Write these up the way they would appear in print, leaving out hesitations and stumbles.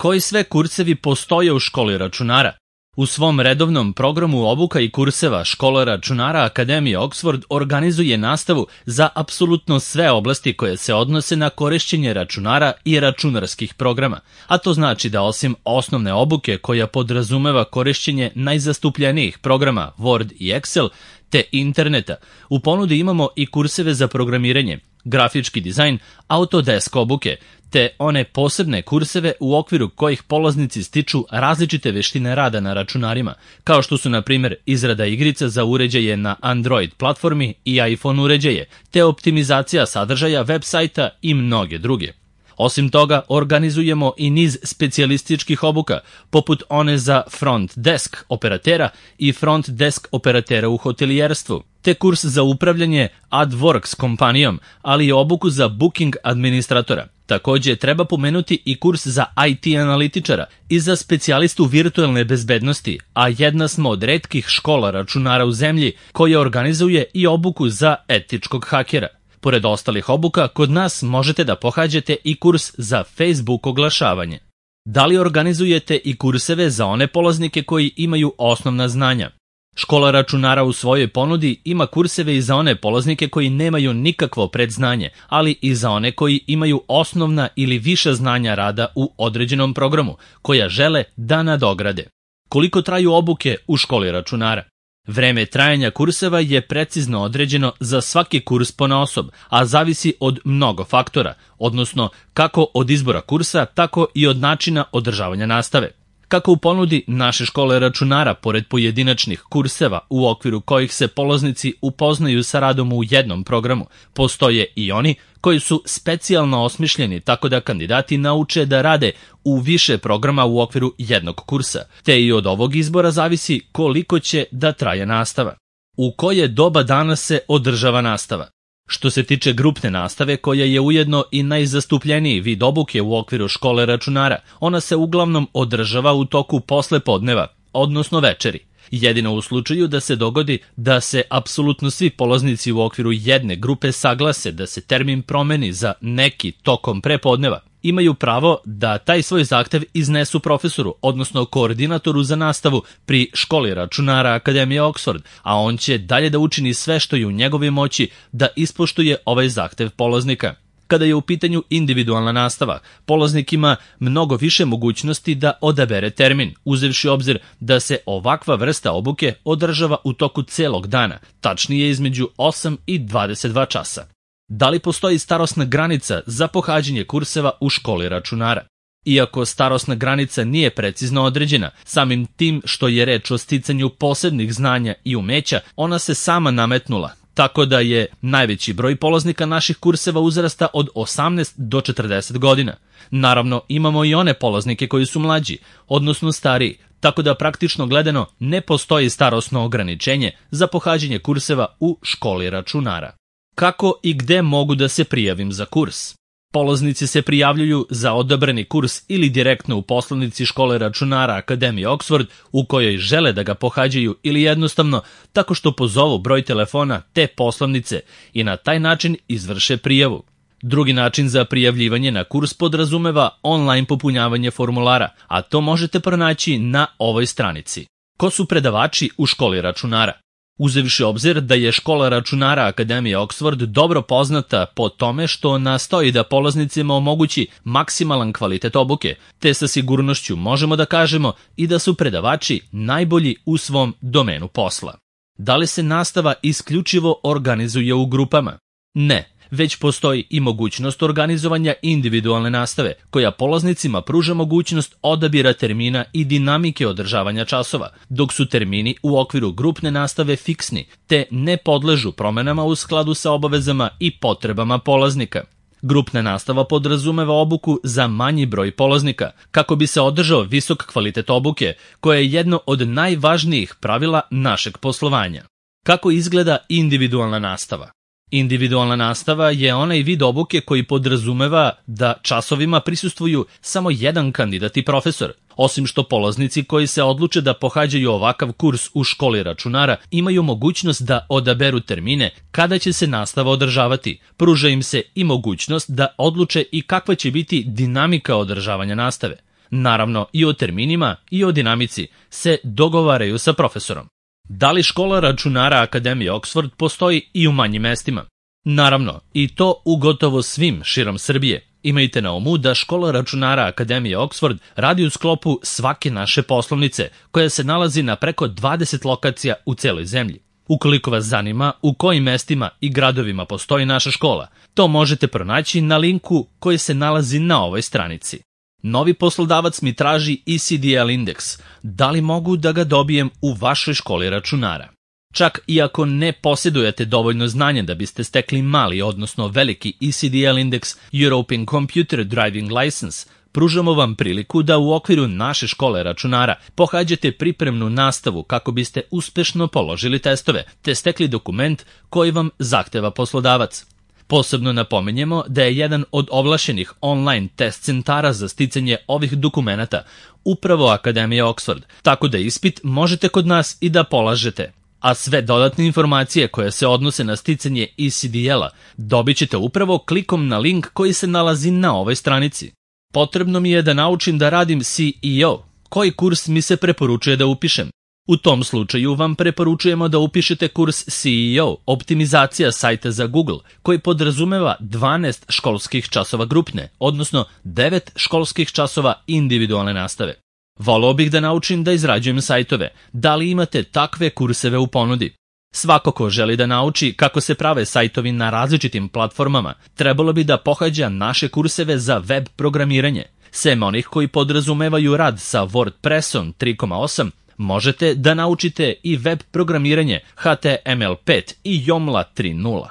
Koji sve kursevi postoje u školi računara? U svom redovnom programu obuka i kurseva Škola računara Akademije Oxford organizuje nastavu za apsolutno sve oblasti koje se odnose na korišćenje računara i računarskih programa, a to znači da osim osnovne obuke koja podrazumeva korišćenje najzastupljenijih programa Word i Excel te interneta, u ponudi imamo i kurseve za programiranje, grafički dizajn, Autodesk obuke, te one posebne kurseve u okviru kojih polaznici stiču različite veštine rada na računarima, kao što su na primjer izrada igrica za uređaje na Android platformi i iPhone uređaje, te optimizacija sadržaja web sajta i mnoge druge. Osim toga, organizujemo i niz specijalističkih obuka, poput one za front desk operatera i front desk operatera u hotelijerstvu, te kurs za upravljanje AdWorks kompanijom, ali i obuku za booking administratora. Također treba pomenuti i kurs za IT analitičara i za specijalistu virtualne bezbednosti, a jedna smo od retkih škola računara u zemlji koja organizuje i obuku za etičkog hakera. Pored ostalih obuka, kod nas možete da pohađate i kurs za Facebook oglašavanje. Da li organizujete i kurseve za one polaznike koji imaju osnovna znanja? Škola računara u svojoj ponudi ima kurseve i za one polaznike koji nemaju nikakvo predznanje, ali i za one koji imaju osnovna ili viša znanja rada u određenom programu, koja žele da nadograde. Koliko traju obuke u školi računara? Vreme trajanja kurseva je precizno određeno za svaki kurs ponaosob, a zavisi od mnogo faktora, odnosno kako od izbora kursa, tako i od načina održavanja nastave. Kako u ponudi naše škole računara, pored pojedinačnih kurseva u okviru kojih se polaznici upoznaju sa radom u jednom programu, postoje i oni koji su specijalno osmišljeni tako da kandidati nauče da rade u više programa u okviru jednog kursa, te i od ovog izbora zavisi koliko će da traje nastava. U koje doba dana se održava nastava? Što se tiče grupne nastave, koja je ujedno i najzastupljeniji vid obuke u okviru škole računara, ona se uglavnom održava u toku poslepodneva, odnosno večeri. Jedino u slučaju da se dogodi da se apsolutno svi polaznici u okviru jedne grupe saglase da se termin promeni za neki tokom prepodneva, imaju pravo da taj svoj zahtev iznesu profesoru, odnosno koordinatoru za nastavu pri školi računara Akademije Oxford, a on će dalje da učini sve što je u njegovoj moći da ispoštuje ovaj zahtev polaznika. Kada je u pitanju individualna nastava, polaznik ima mnogo više mogućnosti da odabere termin, uzevši obzir da se ovakva vrsta obuke održava u toku celog dana, tačnije između 8 i 22 časa. Da li postoji starosna granica za pohađanje kurseva u školi računara? Iako starosna granica nije precizno određena, samim tim što je reč o sticanju posebnih znanja i umeća, ona se sama nametnula, tako da je najveći broj polaznika naših kurseva uzrasta od 18 do 40 godina. Naravno, imamo i one polaznike koji su mlađi, odnosno stariji, tako da praktično gledano ne postoji starosno ograničenje za pohađanje kurseva u školi računara. Kako i gde mogu da se prijavim za kurs? Polaznici se prijavljuju za odabrani kurs ili direktno u poslanici škole računara Akademije Oxford u kojoj žele da ga pohađaju ili jednostavno tako što pozovu broj telefona te poslanice i na taj način izvrše prijavu. Drugi način za prijavljivanje na kurs podrazumeva online popunjavanje formulara, a to možete pronaći na ovoj stranici. Ko su predavači u školi računara? Uzevši obzir da je škola računara Akademije Oxford dobro poznata po tome što nastoji da polaznicima omogući maksimalan kvalitet obuke, te sa sigurnošću možemo da kažemo i da su predavači najbolji u svom domenu posla. Da li se nastava isključivo organizuje u grupama? Ne. Već postoji i mogućnost organizovanja individualne nastave, koja polaznicima pruža mogućnost odabira termina i dinamike održavanja časova, dok su termini u okviru grupne nastave fiksni, te ne podležu promenama u skladu sa obavezama i potrebama polaznika. Grupna nastava podrazumeva obuku za manji broj polaznika, kako bi se održao visok kvalitet obuke, koja je jedno od najvažnijih pravila našeg poslovanja. Kako izgleda individualna nastava? Individualna nastava je onaj vid obuke koji podrazumeva da časovima prisustvuju samo jedan kandidat i profesor, osim što polaznici koji se odluče da pohađaju ovakav kurs u školi računara imaju mogućnost da odaberu termine kada će se nastava održavati. Pruža im se i mogućnost da odluče i kakva će biti dinamika održavanja nastave. Naravno, i o terminima i o dinamici se dogovaraju sa profesorom. Da li škola računara Akademije Oxford postoji i u manjim mestima? Naravno, i to u gotovo svim širom Srbije. Imajte na umu da škola računara Akademije Oxford radi u sklopu svake naše poslovnice, koja se nalazi na preko 20 lokacija u celoj zemlji. Ukoliko vas zanima u kojim mestima i gradovima postoji naša škola, to možete pronaći na linku koji se nalazi na ovoj stranici. Novi poslodavac mi traži ECDL indeks. Da li mogu da ga dobijem u vašoj školi računara? Čak i ako ne posjedujete dovoljno znanja da biste stekli mali, odnosno veliki ECDL indeks European Computer Driving License, pružamo vam priliku da u okviru naše škole računara pohađate pripremnu nastavu kako biste uspešno položili testove, te stekli dokument koji vam zahteva poslodavac. Posebno napominjemo da je jedan od ovlašenih online test centara za sticanje ovih dokumenata upravo Akademija Oxford, tako da ispit možete kod nas i da polažete. A sve dodatne informacije koje se odnose na sticanje ECDL-a dobit ćete upravo klikom na link koji se nalazi na ovoj stranici. Potrebno mi je da naučim da radim CEO. Koji kurs mi se preporučuje da upišem? U tom slučaju vam preporučujemo da upišete kurs CEO, optimizacija sajta za Google, koji podrazumeva 12 školskih časova grupne, odnosno 9 školskih časova individualne nastave. Voleo bih da naučim da izrađujem sajtove. Da li imate takve kurseve u ponudi? Svako ko želi da nauči kako se prave sajtovi na različitim platformama, trebalo bi da pohađa naše kurseve za web programiranje. Sem onih koji podrazumevaju rad sa WordPressom 3.8, možete da naučite i web programiranje HTML5 i Joomla 3.0.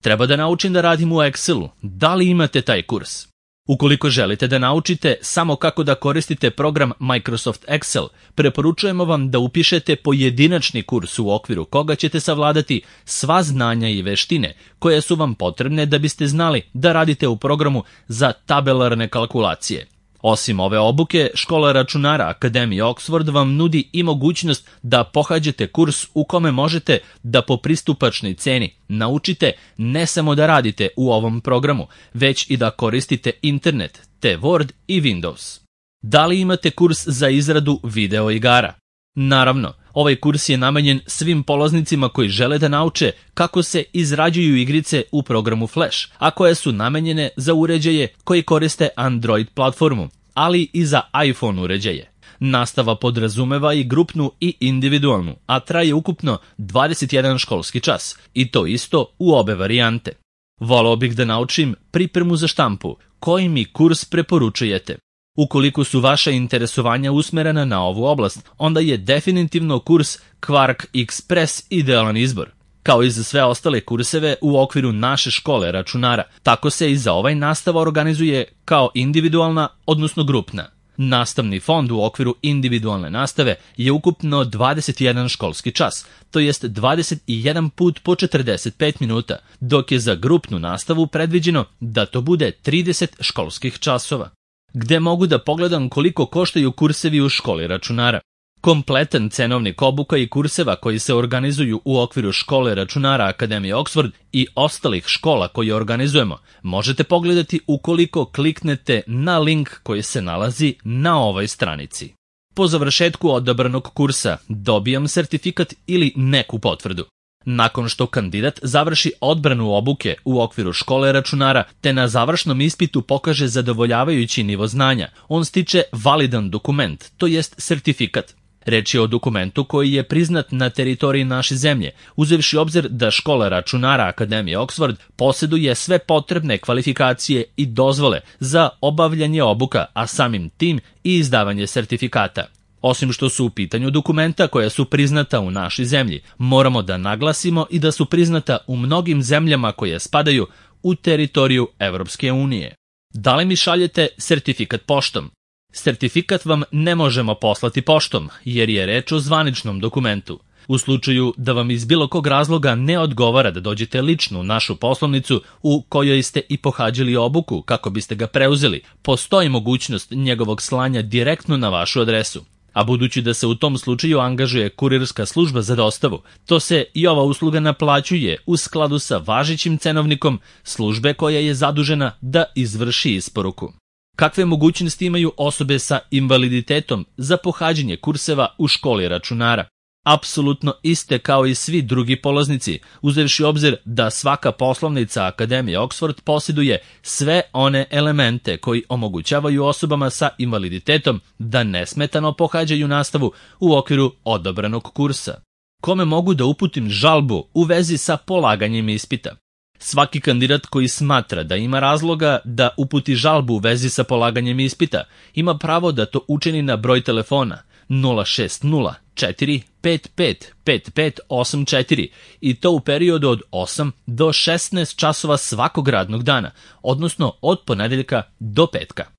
Treba da naučim da radim u Excelu. Da li imate taj kurs? Ukoliko želite da naučite samo kako da koristite program Microsoft Excel, preporučujemo vam da upišete pojedinačni kurs u okviru koga ćete savladati sva znanja i veštine koje su vam potrebne da biste znali da radite u programu za tabelarne kalkulacije. Osim ove obuke, škola računara Akademije Oxford vam nudi i mogućnost da pohađate kurs u kome možete da po pristupačnoj ceni naučite ne samo da radite u ovom programu, već i da koristite internet, te Word i Windows. Da li imate kurs za izradu video igara? Naravno, ovaj kurs je namenjen svim polaznicima koji žele da nauče kako se izrađuju igrice u programu Flash, a koje su namenjene za uređaje koji koriste Android platformu, ali i za iPhone uređaje. Nastava podrazumeva i grupnu i individualnu, a traje ukupno 21 školski čas, i to isto u obe varijante. Voleo bih da naučim pripremu za štampu. Koji mi kurs preporučujete? Ukoliko su vaša interesovanja usmerena na ovu oblast, onda je definitivno kurs Quark Express idealan izbor. Kao i za sve ostale kurseve u okviru naše škole računara, tako se i za ovaj nastava organizuje kao individualna, odnosno grupna. Nastavni fond u okviru individualne nastave je ukupno 21 školski čas, to jest 21 put po 45 minuta, dok je za grupnu nastavu predviđeno da to bude 30 školskih časova. Gde mogu da pogledam koliko koštaju kursevi u školi računara? Kompletan cenovnik obuka i kurseva koji se organizuju u okviru škole računara Akademije Oxford i ostalih škola koje organizujemo možete pogledati ukoliko kliknete na link koji se nalazi na ovoj stranici. Po završetku odabranog kursa dobijam sertifikat ili neku potvrdu. Nakon što kandidat završi odbranu obuke u okviru škole računara te na završnom ispitu pokaže zadovoljavajući nivo znanja, on stiče validan dokument, to jest sertifikat. Reč je o dokumentu koji je priznat na teritoriji naše zemlje, uzevši obzir da škola računara Akademije Oxford posjeduje sve potrebne kvalifikacije i dozvole za obavljanje obuka, a samim tim i izdavanje sertifikata. Osim što su u pitanju dokumenta koja su priznata u našoj zemlji, moramo da naglasimo i da su priznata u mnogim zemljama koje spadaju u teritoriju Evropske unije. Da li mi šaljete sertifikat poštom? Sertifikat vam ne možemo poslati poštom, jer je reč o zvaničnom dokumentu. U slučaju da vam iz bilo kog razloga ne odgovara da dođete lično u našu poslovnicu u kojoj ste i pohađali obuku kako biste ga preuzeli, postoji mogućnost njegovog slanja direktno na vašu adresu. A budući da se u tom slučaju angažuje kurirska služba za dostavu, to se i ova usluga naplaćuje u skladu sa važećim cenovnikom službe koja je zadužena da izvrši isporuku. Kakve mogućnosti imaju osobe sa invaliditetom za pohađanje kurseva u školi računara? Apsolutno iste kao i svi drugi polaznici, uzevši obzir da svaka poslovnica Akademije Oxford posjeduje sve one elemente koji omogućavaju osobama sa invaliditetom da nesmetano pohađaju nastavu u okviru odabranog kursa. Kome mogu da uputim žalbu u vezi sa polaganjem ispita? Svaki kandidat koji smatra da ima razloga da uputi žalbu u vezi sa polaganjem ispita ima pravo da to učini na broj telefona 060 455 5584 i to u periodu od 8 do 16 časova svakog radnog dana, odnosno od ponedeljka do petka.